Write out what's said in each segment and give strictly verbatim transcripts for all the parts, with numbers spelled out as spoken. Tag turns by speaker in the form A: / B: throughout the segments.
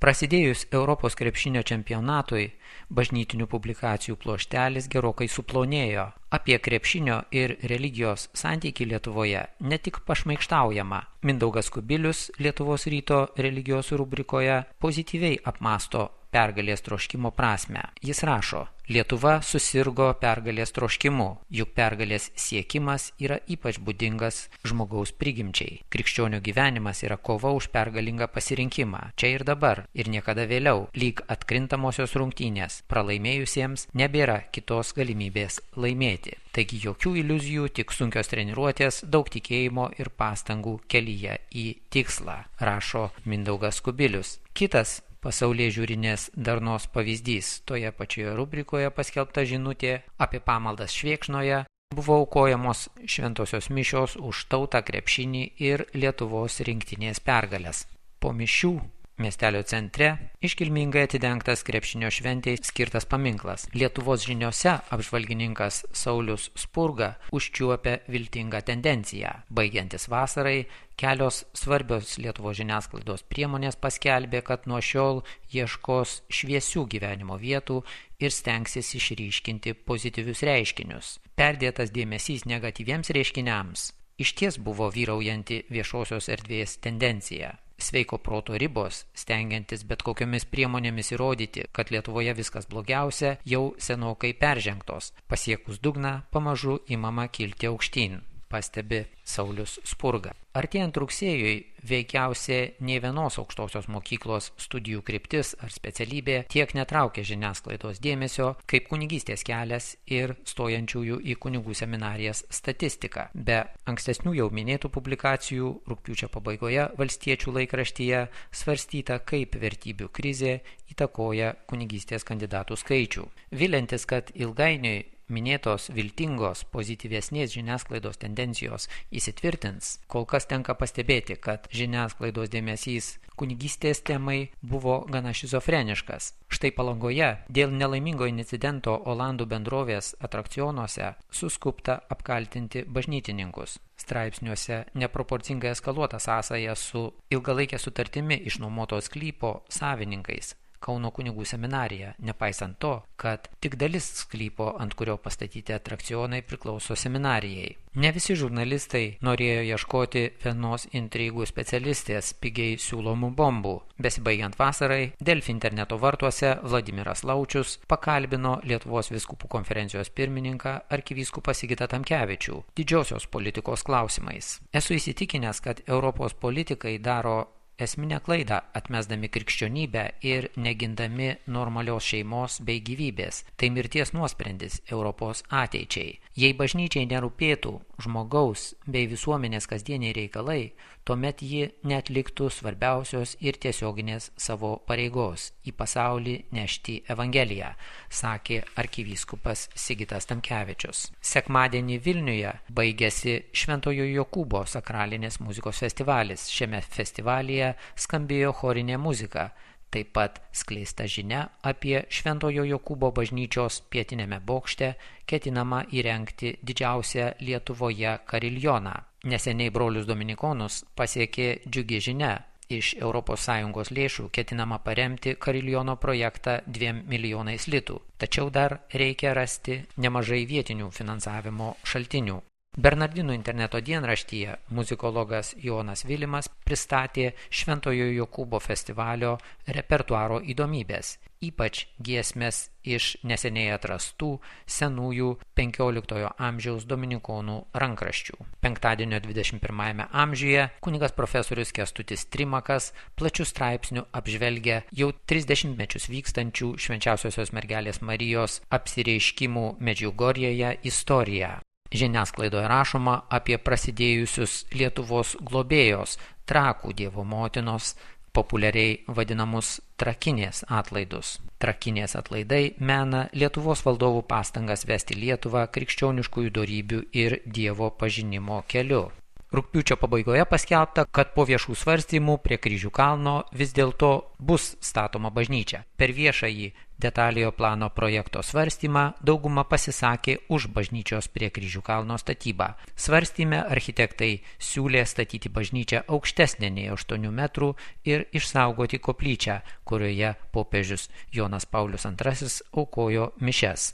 A: Prasidėjus Europos krepšinio čempionatui, bažnytinių publikacijų pluoštelis gerokai suplonėjo. Apie krepšinio ir religijos santykį Lietuvoje ne tik pašmaikštaujama. Mindaugas Kubilius Lietuvos ryto religijos rubrikoje pozityviai apmąsto pergalės troškimo prasmę. Jis rašo: Lietuva susirgo pergalės troškimu, juk pergalės siekimas yra ypač būdingas žmogaus prigimčiai. Krikščionių gyvenimas yra kova už pergalingą pasirinkimą, čia ir dabar, ir niekada vėliau, lyg atkrintamosios rungtynės. Pralaimėjusiems nebėra kitos galimybės laimėti. Taigi jokių iliuzijų, tik sunkios treniruotės, daug tikėjimo ir pastangų kelyje į tikslą, rašo Mindaugas Kubilius. Kitas pasaulyje žiūrinės darnos pavyzdys. Toje pačioje rubrikoje paskelbta žinutė apie pamaldas Švėkšnoje buvo aukojamos šventosios mišios už tautą, krepšinį ir Lietuvos rinktinės pergalės. Po mišių miestelio centre iškilmingai atidengtas krepšinio šventei skirtas paminklas. Lietuvos žiniose apžvalgininkas Saulius Spurga užčiuopia viltingą tendenciją. Baigiantis vasarai, kelios svarbios Lietuvos žiniasklaidos priemonės paskelbė, kad nuo šiol ieškos šviesių gyvenimo vietų ir stengsis išryškinti pozityvius reiškinius. Perdėtas dėmesys negatyviems reiškiniams išties buvo vyraujanti viešosios erdvės tendencija. Sveiko proto ribos, stengiantis bet kokiomis priemonėmis įrodyti, kad Lietuvoje viskas blogiausia, jau senokai peržengtos. Pasiekus dugną, pamažu imama kilti aukštyn, pastebi Saulius Spurga. Artėjant rugsėjui, veikiausiai nei vienos aukštosios mokyklos studijų kryptis ar specialybė tiek netraukia žiniasklaidos dėmesio kaip kunigystės kelias ir stojančiųjų į kunigų seminarijas statistika. Be ankstesnių jau minėtų publikacijų, rugpjūčio pabaigoje Valstiečių laikraštyje svarstyta, kaip vertybių krizė įtakoja kunigystės kandidatų skaičių. Viliantis, kad ilgainiui minėtos viltingos pozityvesnės žiniasklaidos tendencijos įsitvirtins, kol kas tenka pastebėti, kad žiniasklaidos dėmesys kunigystės temai buvo gana šizofreniškas. Štai Palangoje dėl nelaimingo incidento Olandų bendrovės atrakcionuose suskubta apkaltinti bažnytininkus. Straipsniuose neproporcingai eskaluota sąsaja su ilgalaikė sutartimi išnuomotos sklypo savininkais. Kauno kunigų seminarija, nepaisant to, kad tik dalis sklypo, ant kurio pastatyti atrakcionai, priklauso seminarijai. Ne visi žurnalistai norėjo ieškoti vienos intrigų specialistės pigiai siūlomų bombų. Besibaigiant vasarai, Delfi interneto vartuose Vladimiras Laučius pakalbino Lietuvos vyskupų konferencijos pirmininką arkivyskupą Sigitą Tamkevičių didžiosios politikos klausimais. Esu įsitikinęs, kad Europos politikai daro esminę klaidą atmesdami krikščionybę ir negindami normalios šeimos bei gyvybės. Tai mirties nuosprendis Europos ateičiai. Jei bažnyčiai nerūpėtų žmogaus bei visuomenės kasdieniai reikalai, tuomet ji neatliktų svarbiausios ir tiesioginės savo pareigos į pasaulį nešti Evangeliją, sakė arkivyskupas Sigitas Tamkevičius. Sekmadienį Vilniuje baigėsi Šventojo Jokūbo sakralinės muzikos festivalis. Šiame festivalyje skambėjo chorinė muzika. Taip pat skleista žinia apie Šventojo Jokūbo bažnyčios pietiniame bokšte ketinama įrengti didžiausią Lietuvoje kariljoną. Neseniai brolius dominikonus pasiekė džiugi žinia. Iš Europos Sąjungos lėšų ketinama paremti kariljono projektą dviem milijonais litų. Tačiau dar reikia rasti nemažai vietinių finansavimo šaltinių. Bernardinų interneto dienraštyje muzikologas Jonas Vilimas pristatė Šventojo Jokūbo festivalio repertuaro įdomybės, ypač giesmės iš neseniai atrastų senųjų penkioliktojo amžiaus dominikonų rankraščių. Penktadienio dvidešimt pirmajame amžiuje kunigas profesorius Kęstutis Trimakas plačių straipsnių apžvelgia jau trisdešimtmečius vykstančių Švenčiausiosios mergelės Marijos apsireiškimų Medžiugorjėje istoriją. Žiniasklaidoje rašoma apie prasidėjusius Lietuvos globėjos Trakų Dievo motinos, populiariai vadinamus trakinės atlaidus. Trakinės atlaidai mena Lietuvos valdovų pastangas vesti Lietuvą krikščioniškųjų dorybių ir Dievo pažinimo keliu. Rugpjūčio pabaigoje paskelbta, kad po viešų svarstymų prie Kryžių kalno vis dėlto bus statoma bažnyčia. Per viešąjį detaliojo plano projekto svarstymą dauguma pasisakė už bažnyčios prie Kryžių kalno statybą. Svarstyme architektai siūlė statyti bažnyčią aukštesnę nei aštuonių metrų ir išsaugoti koplyčią, kurioje popiežius Jonas Paulius antrasis aukojo mišias.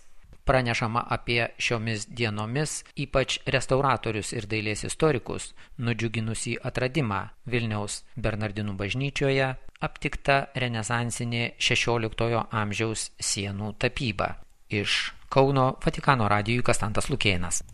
A: Pranešama apie šiomis dienomis ypač restauratorius ir dailės istorikus nudžiuginusį atradimą Vilniaus Bernardinų bažnyčioje aptikta renesansinė šešioliktojo amžiaus sienų tapyba. Iš Kauno Vatikano radijui Kastantas Lukėnas.